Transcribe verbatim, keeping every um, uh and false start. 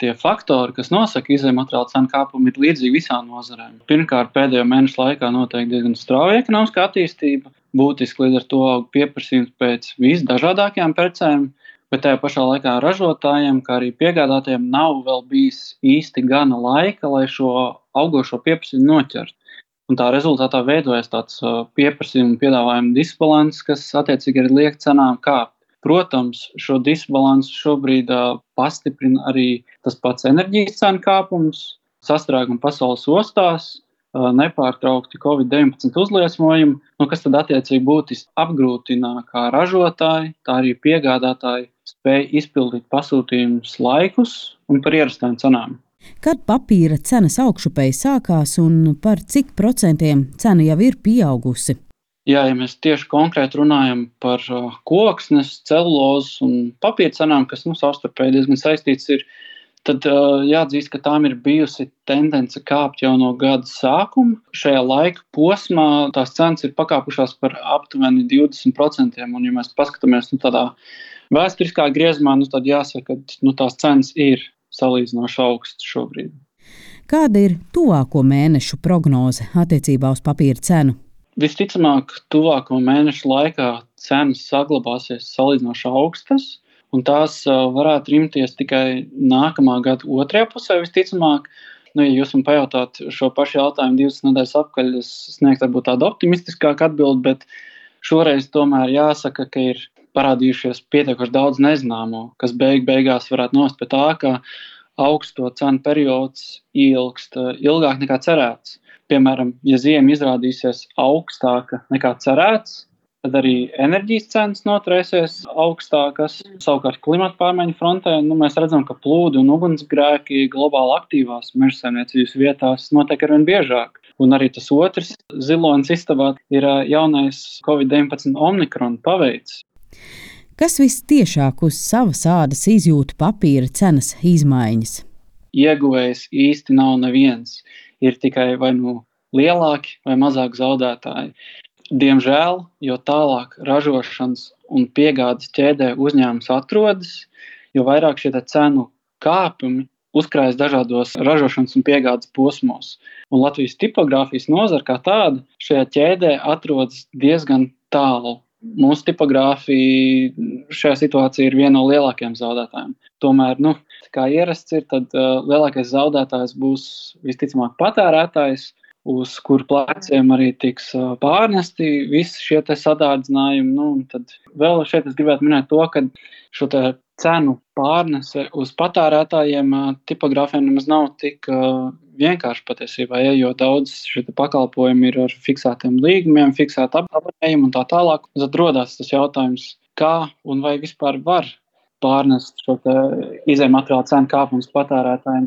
tie faktori, kas nosaka izejmateriālu cenu kāpumu, ir līdzīgi visām nozarēm. Pirmkārt, pēdējo mēnešu laikā notiek diezgan strauja ekonomiskā attīstība, būtiski līdz ar to aug pieprasījums pēc visdažādākajām precēm, bet tajā pašā laikā ražotājiem, kā arī piegādātājiem nav vēl bijis īsti gana laika, lai šo augošo pieprasījumu noķertu. Un tā rezultātā veidojas tāds pieprasījuma un piedāvājuma disbalans, kas attiecīgi arī liek cenām kāpt. Protams, šo disbalansu šobrīd uh, pastiprina arī tas pats enerģijas cenu kāpums, sastrēguma pasaules ostās, uh, nepārtraukti covid deviņpadsmit uzliesmojumi, nu, kas tad attiecīgi būtiski apgrūtina kā ražotāji, tā arī piegādātāji spēj izpildīt pasūtījumus laikus un par ierastām cenām. Kad papīra cenas augšupēji sākās un par cik procentiem cena jau ir pieaugusi? Jā, ja mēs tieši konkrēti runājam par uh, koksnes, celulozes un papīra cenām, kas nu, savstarpēji diezgan saistīts ir, tad uh, jāatzīst, ka tām ir bijusi tendence kāpt jau no gada sākuma. Šajā laika posmā tās cenas ir pakāpušās par aptuveni divdesmit procentiem, un ja mēs paskatāmies nu, tādā vēsturiskā griezumā, nu, tad jāsaka, ka nu, tās cenas ir salīdzinoši augstas šobrīd. Kāda ir tuvāko mēnešu prognoze attiecībā uz papīra cenu? Visticamāk, tuvāko mēnešu laikā cenas saglabāsies salīdzinoši augstas, un tās varētu rimties tikai nākamā gada otrajā pusē visticamāk. Nu, ja jūs man pajautāt šo pašu jautājumu divas nedēļas apkaļ, es sniegtu varbūt tādu optimistiskāku atbildi, bet šoreiz tomēr jāsaka, ka ir parādījušies pietiekoši daudz nezināmo, kas beig beigās varētu nost pie tā, ka augsto cenu periods ilgst ilgāk nekā cerēts. Piemēram, ja ziema izrādīsies augstāka nekā cerēts, tad arī enerģijas cenas noturēsies augstākas. Savukārt klimata pārmaiņu frontē nu, mēs redzam, ka plūdi un ugunsgrēki globāli aktīvās mežsaimniecības vietās notiek arvien biežāk. Un arī tas otrs zilonis istabā ir jaunais covid deviņpadsmit omikron paveids. Kas vistiešāk uz savas ādas izjūta papīra cenas izmaiņas? Ieguvējs īsti nav neviens. Ir tikai vai nu lielāki vai mazāk zaudētāji. Diemžēl, jo tālāk ražošanas un piegādes ķēdē uzņēmums atrodas, jo vairāk šie cenu kāpumi uzkrājas dažādos ražošanas un piegādes posmos. Un Latvijas tipogrāfijas nozara kā tāda šajā ķēdē atrodas diezgan tālu. Mūsu tipogrāfija šajā situācijā ir viena no lielākajiem zaudētājiem. Tomēr, nu, kā ierasts ir, tad uh, lielākais zaudētājs būs visticamāk patērētājs, uz kuru pleciem arī tiks uh, pārnesti visi šie te sadārdzinājumi. Nu, tad vēl šeit es gribētu minēt to, ka šo te cenu pārnese uz patērētājiem uh, tipogrāfiem nemaz nav tik uh, vienkārši patiesībā, ja, jo daudz šie pakalpojumi ir ar fiksētiem līgumiem, fiksētu abonējumu un tā tālāk. Tad rodās tas jautājums, kā un vai vispār var pārnest šo izejmateriālu cenu kāpumus patērētājiem.